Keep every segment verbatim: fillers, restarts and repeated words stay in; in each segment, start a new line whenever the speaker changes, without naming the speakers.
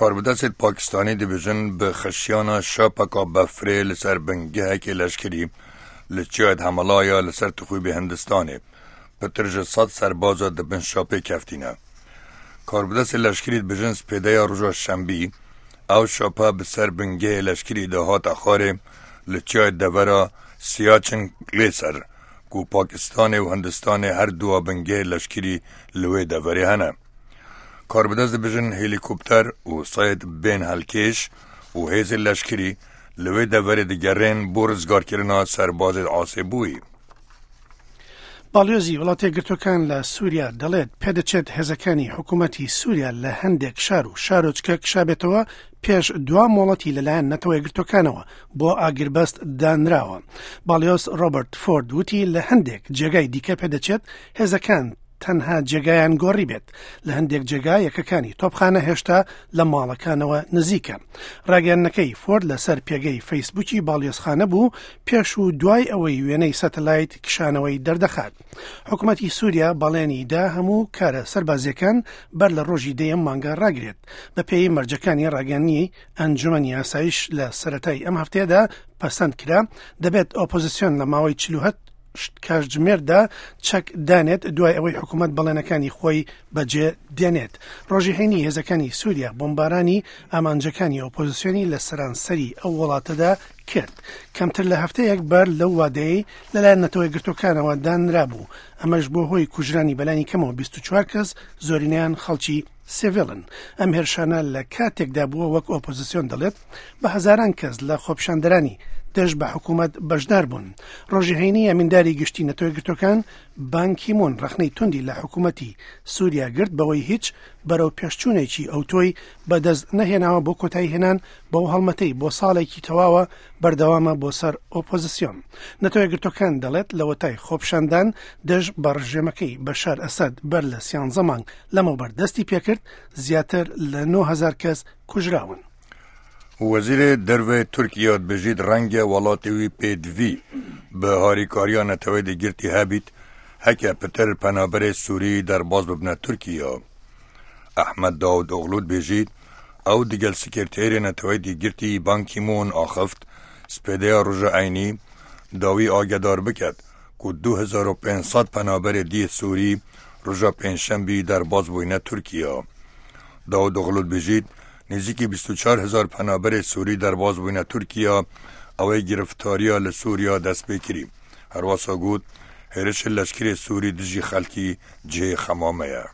کاربەدەستێت پاکستانی دەبێژن بە خشیانە شاپەکە بەفرێ لەسەر بنگەهێکی لەشکری لە چیایت هەمەڵایە لەسەر تخویبی هندستانێ پتر ji سەد سەربازە دەبن شاپێ کەفتینە. کاربەدەستێ لەشکری دبێژن سپێدەیە ڕۆژە شەنبی ئەو شاپە بەسەر بنگەهێ لەشکری داهاتە خارێ لە چیای دەڤەرا سیاچن لێسەر ku Pakistanê û Hindistanê her dua bingehê leşkerî li wê deverê hene. Karbidest dibêjin helîkopter û sayed bên helkêş û hêzên leşkerî li wê deverê digerên bo rizgarkirina serbazê asêbûyî.
باڵیۆزی وڵاتە یەکگرتووەکان لە سووریا دەڵێت پێدەچێت هێزەکانی حکوومەتی سووریا لە هەندێک شار و شارۆچکە کشابێتەوە پێش دوا مۆڵەتی لەلایەن نەتەوە یەکگرتووەکانەوە بۆ ئاگربەست دانراوە. باڵیۆز ڕۆبەرت فۆرد وتی لە هەندێک جێگای دیکە پێدەچێت هێزەکان تەنها جێگایان گۆڕی بێت. لە هەندێک جێگا یەکەکانی تۆپخانە هێشتا لە ماڵەکانەوە نزیکە. ڕاگەیاندنەکەی فۆرد لەسەر پێگەی فەیسبووکی باڵیۆزخانە بوو پێش و دوای ئەوەی وێنەی سەتەلایت کشانەوەی دەردەخات. حکوومەتی سووریا بەڵێنی دا هەموو کارە سەربازیەکان بەر لە ڕۆژی دەیەم مانگا ڕاگرێت. بەپێی مەرجەکانی ڕاگەیاندنی ئەنجومەنی ئاسایش لە سەرەتای ئەم هەفتەیەدا پەسەند کرا، دەبێت ئۆپۆزیسیۆن لە ماوەی چل و هەشت کاتژمێردا چەک دانێت دوای ئەوەی حکوومەت بەڵێنەکانی خۆی بەجێ دێنێت. ڕۆژی هەینی هێزەکانی سووریا بۆمبارانی ئامانجەکانی ئۆپۆزیسیۆنی لە سەرانسەری ئەو وڵاتەدا کرد. کەمتر لە هەفتەیەک بەر لەو وادەیەی لەلایەن نەتەوە یەکگرتووەکانەوە دانرابوو، ئەمەش بۆ هۆی کوژرانی بەلانی کەمەوە بیست و چوار کەس، زۆرینەیان خەڵکی سیڤیلن. ئەم هێرشانە لە کاتێکدا بووە وەک ئۆپۆزیسیۆن دەڵێت بە هەزاران کەس لە خۆپیشاندەرانی دژ بە حکوومەت بەشدار بوون. ڕۆژی هەینی ئەمینداری گشتی نەتەوە یەکگرتووەکان بان کیمون ڕەخنەی توندی لە حکوومەتی سووریا گرت بەوەی هیچ بەرەو پێشچوونێکی ئەوتۆی بەدەست نەهێناوە بۆ کۆتایی هێنان بەو هەڵمەتەی بۆ ساڵێکی تەواوە بەردەوامە بۆ سەر ئۆپۆزیسیۆن. نەتەوە یەکگرتووەکان دەڵێت لەوەتای خۆپیشاندان دژ بە ڕژێمەکەی بەشار ئەسەد بەر لە سیانزە مانگ لەمەوبەر دەستی پێکرد زیاتر لە نۆ هەزار کەس کوژراون.
وەزیرê Derve Tirkiye dibêjît rengê welatê wî pêdivî bi harîkariya neteweyê degirtî hebît heke pitir penaberê Sûrî derbas bibine Tirkiye. Ehmed Davutoglu dibêjît ew digel sekreterê neteweyê degirtî Ban Ki-moon axift spêdeya roja eynî dawî agedar biket ku du hezar û pênc sed penaberê diyê Sûrî roja pêncşembî derbas bûyne Tirkiye. Davutoglu dibêjît نزیکی بیست و چهار هزار پەنابەرê Sûrî derbas bûne Tirkiye ewê گرفتariya li Sûriya dest pê kirî. Herwesa got hêrişên leşkerê Sûrî dijî xelkî cihê xema ye.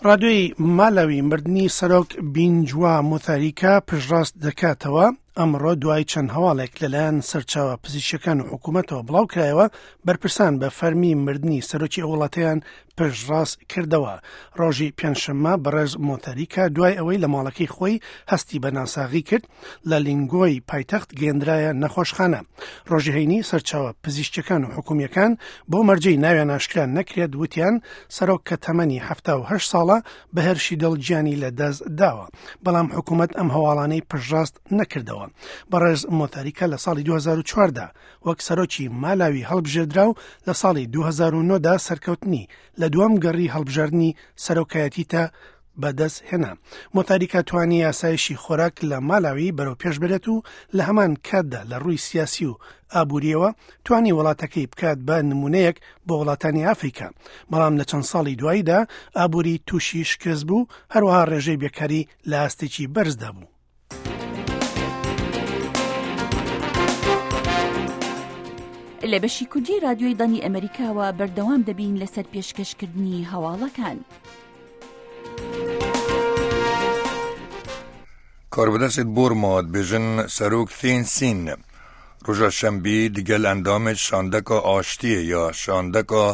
ڕادیۆی مالاوی مردنی سەرۆک بینجوا موثاریکا پشتڕاست دەکاتەوە. ئەمڕۆ دوای چەند هەواڵێک لەلایەن سەرچاوە پزیشکەکان و حکوومەتەوە بڵاو کرایەوە، بەرپرسان بە فەرمی مردنی سەرۆکی ئەو وڵاتەیان پشتڕاست کردەوە. ڕۆژی پێنجشەممە بەڕێز مۆتاریکا دوای ئەوەی لە ماڵەکەی خۆی هەستی بە ناساغی کرد لە لینگۆی پایتەخت گەندرایە نەخۆشخانە. ڕۆژی هەینی سەرچاوە پزیشکەکان و حکومیەکان بۆ مەرجەی ناویان ئاشکرا نەکرێت وتیان سەرۆک کە تەمەنی حەفتا و هەشت ساڵە بە هێرشی دڵ گیانی لە دەست داوە، بەڵام حکوومەت ئەم هەواڵانەی پشتڕاست نەکردەوە. بەڕێز مۆتاریکا لە ساڵی دوو هەزار و چواردە وەک سەرۆکی مالاوی هەڵبژێردرا و لە ساڵی دوو هەزار و نۆدا سەرکەوتنی لە دووەم گەڕی هەڵبژاردنی سەرۆکایەتی تا بەدەست هێنا. مۆتاریکا توانی یاسایشی خۆراک لە مالاوی بەرەو پێش بێت و لە هەمان کاتدا لە ڕووی سیاسی و ئابووریەوە توانی وڵاتەکەی بکات بە نمونەیەک بۆ وڵاتانی ئافریکا، بەڵام لە چەند ساڵی دواییدا ئابووری تووشی شکست بوو، هەروەها ڕێژەی بێکاری لە ئاستێکی بەرزدا بوو.
لە بەشی کوردی رادیۆی دەنگی ئەمریکاوە بەردەوام دەبین لەسەر پێشکەشکردنی هەواڵەکان.
کاربەدەستێت بۆرما دبێژن سەرۆک ثین سین ڕۆژە شەنبی دیگەل ئەندامێت شاندەکە ئاشتیە یا شاندەکە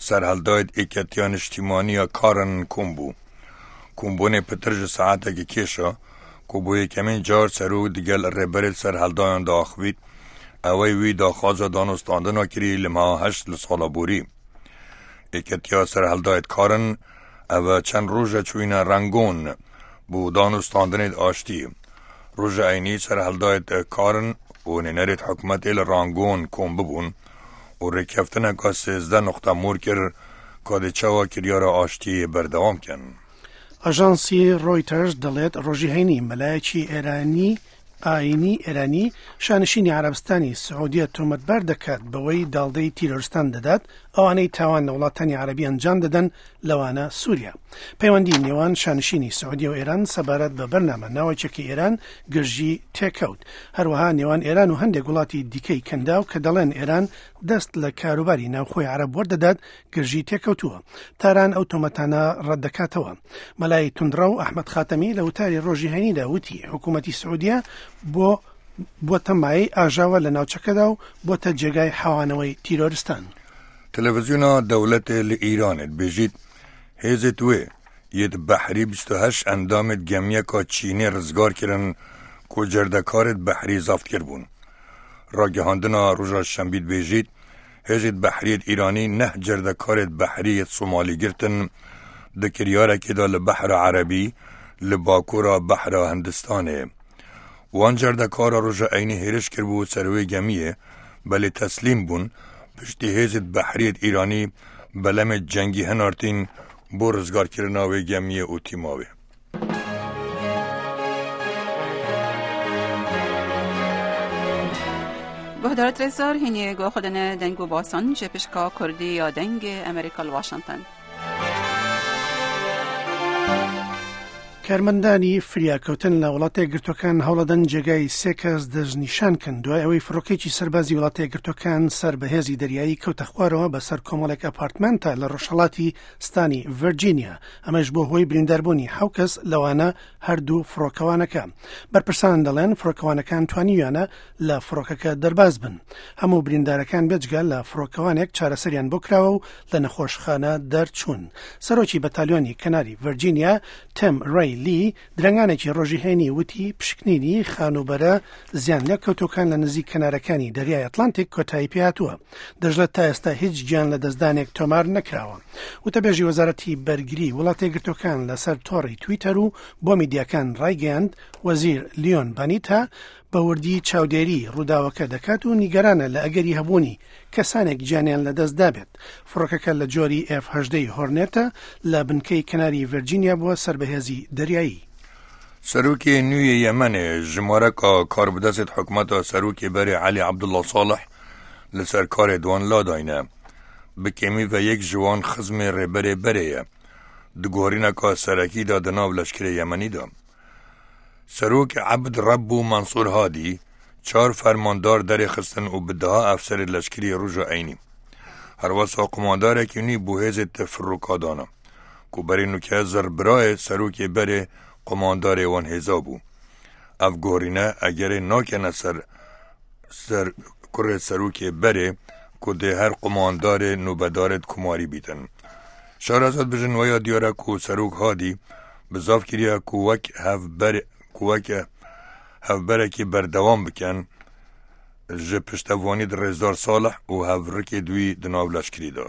سەرهەڵدایت ئێکەتیا نیشتیمانیە کارن کۆم بوو. کۆمبوونێ پتر ji saetekê kêşa ku bo yekemîn car serok digel rêberê serhildayan diaxivît ئەوەی wî daxwaza danûstandina kirî li meha heşt li sala borî. Êketiya serhildayê karin ev çend roje çûyîne Rangon بۆ danûstandinê aştiyê. Roja eynî serhildayê karin û nênerê hikûmetê li Rangon kom bibûn û rêkeftineka sêzdeh nuqte mor kir ka dê çawa kiryara aştiyê berdewam kin.
ئاژانسی ڕۆیتەرز دەڵێت ڕۆژی هەینی مەلایەکی ئێرانی ئاینی ئێرانی شانشینی عەرەبستانی سعودیە تۆمەتبار دەکات بەوەی داڵدەی تیرۆرستان دەدات ئەوانەی تاوان لە وڵاتانی عەرەبی ئەنجام دەدەن لەوانە سووریا. پەیوەندی نێوان شانشینی سعودیە و ئێران سەبارەت بە بەرنامە ناوەکیەکەی ئێران گرژی تێکەوت. هەروەها نێوان ئێران و هەندێک وڵاتی دیکەی کەنداو کە دەڵێن ئێران دەست لە کاروباری ناوخۆی عەرەب وەردەدات گرژی تێکەوتووە. تاران ئەو تۆمەتانە ڕەت دەکاتەوە. مەلای توندڕەو ئەحمەد خاتەمی لە وتاری ڕۆژی هەینیدا وتی حکوومەتی سعودیە بۆ بۆتە مایەی ئاژاوە لە ناوچەکەدا و بۆتە جێگای حەوانەوەی تیرۆرستان.
تەلەڤیزیۆنا دەوڵەتێ لە ئیرانێ دبێژیت هێزێت وێ یەت بەحری بیست و هەشت ئەندامێت گەمیەکا چینێ ڕزگار کردن کو جەردەکارێت بەحری زەفت کردبوون. ڕاگەهاندنا ڕۆژا شەنبی دبێژیت هێزێت بەحریەت ئیرانی نەه جەردەکارێت بەحریەت سۆمالی گرتن د کریارێکێدا لە بەحرە عەرەبی لە باکوورا بەحرە هندستانێ. وان جەردەکارە ڕۆژە ئەینی هێرش کردبوو سەروێ گەمیە بەلێ تەسلیم بوون پشتی هێزت بەحریەت ئیرانی بەلەمێت جەنگی هەنارتین بۆ ڕزگارکردنەوەی گەمیە و تیماوێ.
گهدارت رزار هینی گو خودن دنگ و باسان جپشکا کردی یا دنگ ئەمریکا واشنگتن.
کارمەندانی فریاکەوتن لە وڵاتە یەکگرتووەکان هەوڵەدەن جێگای سێ کەس دەستنیشان کەن دوای ئەوەی فڕۆکێکی سەربازی وڵاتە یەکگرتووەکان سەر بەهێزی دەریایی کەوتە خوارەوە بەسەر کۆمەڵێک ئەپارتمەنتە لە ڕۆژهەڵاتی ستانی ڤێرجینیا، ئەمەش بۆ هۆی برینداربوونی حەو کەس لەوانە هەردوو فڕۆکەوانەکە. بەرپرسان دەڵێن فڕۆکەوانەکان توانیویانە لە فڕۆکەکە دەرباز بن. هەموو بریندارەکان بێجگە لە فڕۆکەوانێک چارەسەریان بۆ کراوە و لە نەخۆشخانە دەرچوون. سەرۆکی بەتالیۆنی کەناری ڤێرجینیا تێم ڕەی لی درەنگانێکی ڕۆژی هەینی وتی پشکنینی خانووبەرە زیان لێکەوتوەکان لە نزیک کەنارەکانی دەریای ئەتلانتیک کۆتایی پێهاتووە. دەژڵێت تا ئێستا هیچ گیان لە دەستدانێک تۆمار نەکراوە. وتەبێژی وەزارەتی بەرگری وڵاتە یەکگرتووەکان لەسەر تۆڕی تویتەر و بۆ میدیاکان ڕایگەیاند وەزیر لیۆن بانیتا بە وردی چاودێری ڕووداوەکە دەکات و نیگەرانە لە ئەگەری هەبوونی کەسانێک گیانیان لەدەست دابێت. فڕۆکەکە لە جۆری ئێف هەژدەی هۆرنێتە لە بنکەی کەناری ڤێرجینیا بووە سەر بەهێزی دەریایی.
سەرۆکی نوێی یەمەنێ ژمارەکە کاربدەست حکومەتە سەرۆکی بەرێ عەلی عەبدوڵڵا ساڵح لەسەر کارێ دوان لاداینە. بکێمی و یەک ژوان خزمی ڕێبەرێ بەرەیە. دگۆڕینەکە سەرەکیدا دەناو لەشکری یەمەنیدا. سەرۆک عەبد ڕەب و مەنسوور هادی چوار فەرماندار دەرێخستن و بدەها ئەفسەری لەشکری ڕۆژە ئەینی. هەروەسا قوماندارێکی نوێ بۆ هێزێت تفرۆکادانە کو بەرێ نوکە زربرایە سەرۆکی بەرێ قوماندارێ وان هێزا بوو. ئەف گۆڕینە ئەگەرێ ناکەنە سەر سەر کوڕێ سەرۆکی بەرێ کو دێ هەر قوماندارێ نوبەدارێت کوماری بیتن. شارەزاد بژن وەیا دیارە کو سەرۆک هادی بزاف کریە کو وەک هەڤبەر کووەکە هەڤبەرێکی بەردەوام بکەن ji پشتەوانی ڕێزدار ساڵح و هەڤڕکێ دوی دناو لەشکریدا.